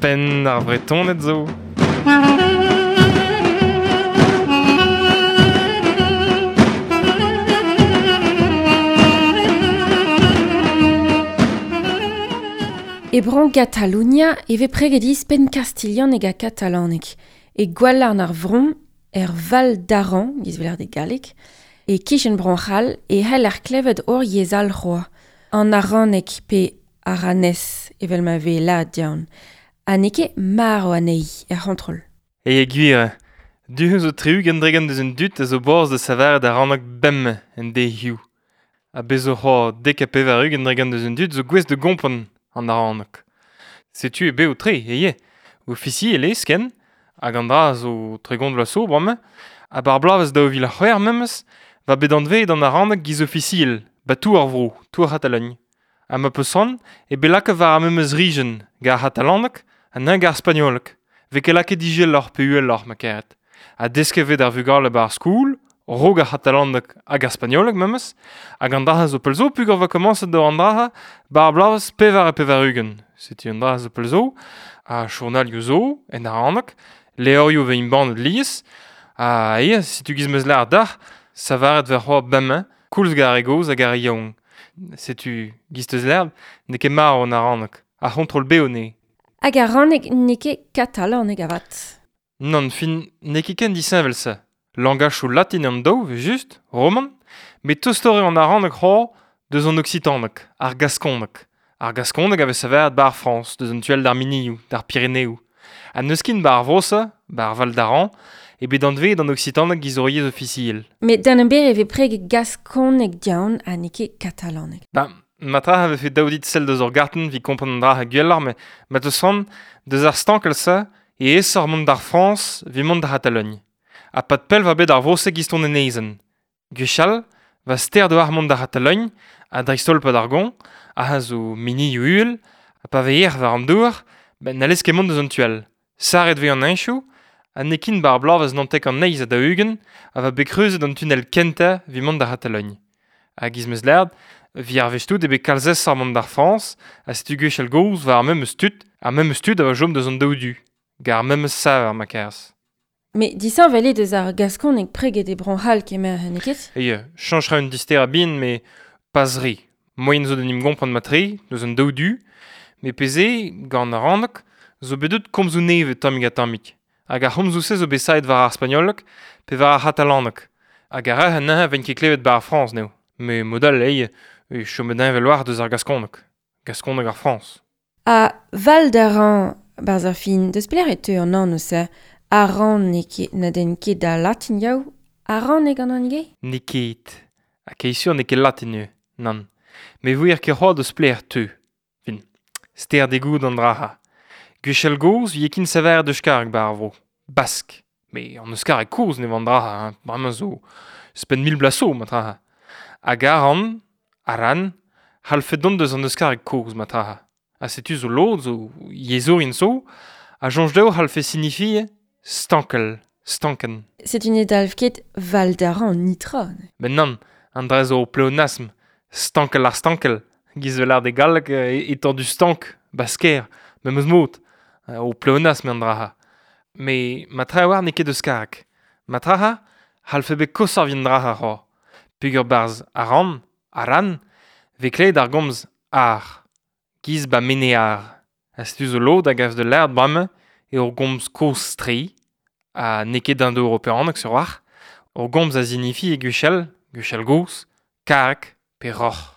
Penn ar Vretoned zo. E bro Gatalunia e vez preget ispenn kastilhaneg ha katalaneg. E gwalarn ar vron, er Val d'Aran, giz veler de galleg, e kichen Bro-C'hall e c'hell ar klevet hor yezh all c'hoazh, an araneg pe aranez evel ma vez lâret diaon. Ha n'eo ket marv anezhi er c'hontrol. E gwir, du zo 60 dregont deus an dud a zo boaz da savaret araneg bemdez en deiz-hiziv. Ha bez zo c'hoazh 90% deus an dud zo gouest da gompren an araneg. Setu e bev tre, eo. Ofisiel eo ken, hag an dra zo 30 vloaz zo bremañ, ha bar bloavezh 2006 memes, va bet anveet an araneg giz ofisiel, ba tou ar vro, tou ar C'hatalogn. Ha ma peus c'hoant, e bet lakaet war ar memes rijenn, gant ar c'hatalaneg ha neuze gant ar spagnoleg. Vez ket lakaet izeloc'h pe uheloc'h ma karet. Ha desket vez d'ar vugale ba ar skol, raok ar c'hatalaneg hag ar spagnoleg memes, hag an dra zo pell zo peogwir va komañset d'ober an dra ba ar bloavezh 84. Setu an dra zo pell zo, ha journalioù zo, en araneg, levrioù vez embannet lies, ha eo, setu giz 'm eus lâret deoc'h, savaret vez c'hoazh bemdez, koulz gant ar re gozh hag ar re yaouank. Setu giz 'teus lâret, n'eo ket marv an araneg, ar c'hontrol bev anezhi. Hag araneg n'eo ket katalaneg avat. Nann, fin, n'eo ket ken disheñvel-se. Langachoù latin an daou, just, roman, met tostoc'h eo an araneg c'hoazh deus an oksitaneg, ar gaskoneg. Ar gaskoneg a vez savet 'ba ar Frañs, deus an tu all d'ar Minioù, d'ar Pireneoù. Ha n'eus ket 'ba ar vro-se, 'ba ar Val d'Aran, e bet anveet an oksitaneg giz ur yezh ofisiel. Met d'an ember e vez preget gaskoneg diaon ha n'eo ket katalaneg. Ba, matra a vefe dav dit sell deus ur gartenn evit kompren an dra gwelloc'h, met ma teus c'hoant, deus ar stankel-se e aesoc'h mont d'ar Frañs evit mont d'ar C'hatalogn. Ha pad pell va bet ar vro-se giz ton enezenn. Gwechall, va ster d'oar mont d'ar C'hatalogn, ha dreist-holl pad ar goañv, ha zo minioù uhel, ha pa vez erc'h war an douar, ben n'hallez ket mont deus an tu all. Sarret vez an heñchoù, ha n'eo ket 'ba ar bloavezh 99 ha ha va bet kreuzet an tunnel kentañ evit mont d'ar C'hatalogn. Hag giz 'm eus lâret, evit ar wech tout eo bet kalz aesoc'h mont d'ar Frañs, ha setu gwechall gozh war ar memes tud, ar memes tud a va chom deus an daou du, gant ar memes saver ma kerz. Met disheñvel eo deus ar gaskoneg preget e Bro-C'hall kemer, n'eo ket? Eo, chañch ra un disterañ bihan, met pas re. Moaien zo d'en em gompren mat-tre, deus an daou du, met pezh eo, gant ar ranneg, zo bet deut komzoù nevez tammig-ha-tammig. Hag ar c'homzoù-se zo bet savet war ar spagnoleg pe war ar c'hatalaneg. Hag ar re anezhañ 'vent ket klevet 'ba ar Frañs n'eo. Met mod all eo, e chomet heñvel war deus ar gaskoneg. Gaskoneg ar Frañs. Ha Val d'Aran, 'barzh ar fin, deus pelec'h e teu an anv-se? Aran n'eo ket na den ket da latin yaou? Aran eo gant an ivez? N'eo ket. Ha ket sur n'eo ket latin eo, nann. Met 'vouier ket c'hoazh deus pelec'h teu. Fin, ster degout an dra-ha. Gwechall gozh 'vije ket savet euskareg 'ba ar vro. Bask. Met an euskareg kozh ne an dra-ha, hein. Bremañ zo ouzhpenn mil bloaz zo, ma-tra. Hag Aran, Aran, c'hallfe dont deus an euskareg kozh, ma-tra. Ha setu zo lod, zo yezhourien zo, a soñj dezho c'hallfe signifier stankel, stankenn. Setu ne dalv ket Val d'Aran nitra. Met nann, an dra zo pleonasm, stankel ar stankel, giz vel ar de galleg e du stank, basker, memes mod, o pleonasm an dra. Met ma tra war n'eo ket euskareg. Ma tra c'hallfe bet koshoc'h evit an dra c'hoazh. Peogwir 'barzh Aran, Aran, vez klevet ar gomz ar, giz ba Menear. Ha setu zo lod a gav da lâret bremañ eo ur gomz kozh-tre, ha n'eo ket indo-europeaneg sur-walc'h. Ur gomz a zinifi e gwechall, gwechall gozh, karreg pe roc'h.